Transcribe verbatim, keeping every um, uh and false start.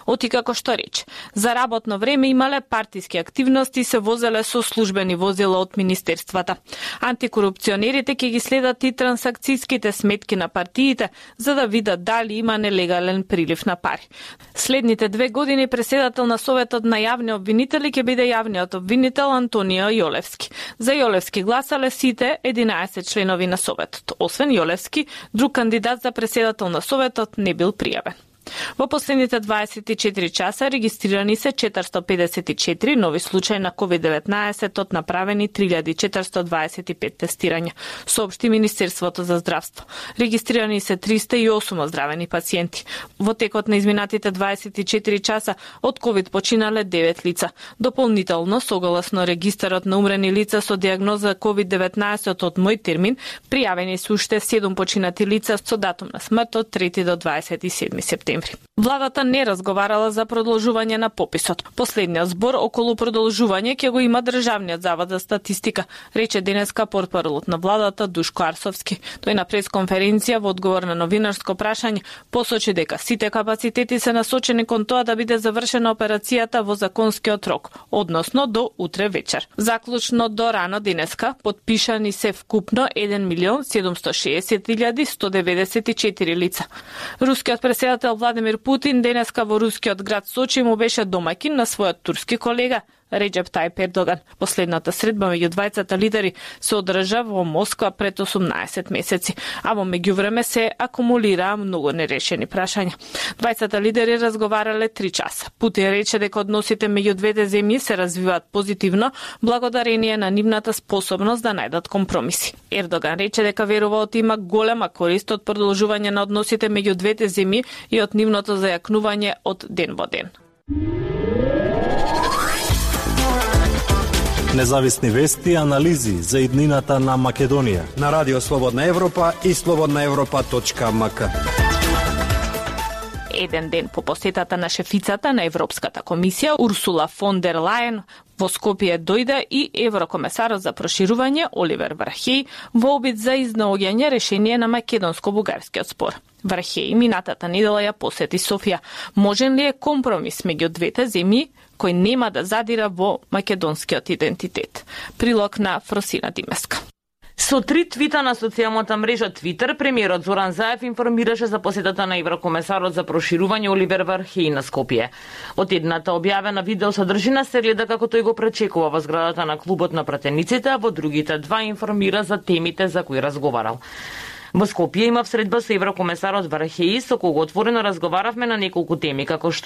Оти како што рече, за работно време имале партиски активности и се возеле со службени возила од министерствата. Антикорупционерите ќе ги следат и трансакцијските сметки на партиите за да видат дали има нелегален прилив на пари. Следните две години преседател на Советот на јавни обвинители ќе биде јавниот обвинител Антонио Јолевски. За Јолевски гласале сите единаесет членови на Советот. Освен Јолевски, друг кандидат за преседател на Советот не бил пријавен. Во последните дваесет и четири часа регистрирани се четиристо педесет и четири нови случаи на ковид деветнаесет од направени три илјади четиристо дваесет и пет тестирања, соопшти Министерството за здравство. Регистрирани се триста и осум оздравени пациенти. Во текот на изминатите дваесет и четири часа од ковид починале девет лица. Дополнително, согласно регистарот на умрени лица со дијагноза ковид деветнаесет од мој термин, пријавени се уште седум починати лица со датум на смрт од трети до дваесет и седми септември. Владата не разговарала за продолжување на пописот. Последниот збор околу продолжување ќе го има Државниот завод за статистика, рече денеска портпаролот на владата Душко Арсовски. Тој на пресконференција во одговор на новинарско прашање посочи дека сите капацитети се насочени кон тоа да биде завршена операцијата во законскиот рок, односно до утре вечер. Заклучно до рано денеска потпишани се вкупно еден милион седумсто шеесет илјади сто деветдесет и четири лица. Рускиот претседател Владимир Путин денеска во рускиот град Сочи му беше домаќин на својот турски колега Реджеп Тајип Ердоган. Последната средба меѓу двајцата лидери се одржа во Москва пред осумнаесет месеци, а во меѓувреме се акумулираа многу нерешени прашања. Двајцата лидери разговарале три часа. Путин рече дека односите меѓу двете земји се развиваат позитивно благодарение на нивната способност да најдат компромиси. Ердоган рече дека верува од има голема корист од продолжување на односите меѓу двете земји и од нивното зајакнување од ден во ден. Независни вести и анализи за иднината на Македонија на Радио Слободна Европа и слободна европа точка ем ка. Еден ден по посетата на шефицата на Европската комисија Урсула фон дер Лајен во Скопје дојде и еврокомесарот за проширување Оливер Вархеј во обид за изнаоѓање решение на македонско-бугарскиот спор. Вархеј минатата недела ја посети Софија. Можен ли е компромис меѓу двете земји кој нема да задира во македонскиот идентитет? Прилог на Фросина Димеска. Со три твита на социјалната мрежа Твитер, премиерот Зоран Заев информираше за посетата на еврокомесарот за проширување Оливер Вархеј на Скопје. Од едната објавена видео содржина се гледа како тој го пречекува во зградата на клубот на пратениците, а во другите два информира за темите за кои разговарал. Во Скопје имав средба со еврокомесарот Вархеј, со кого отворено разговаравме на неколку теми, како што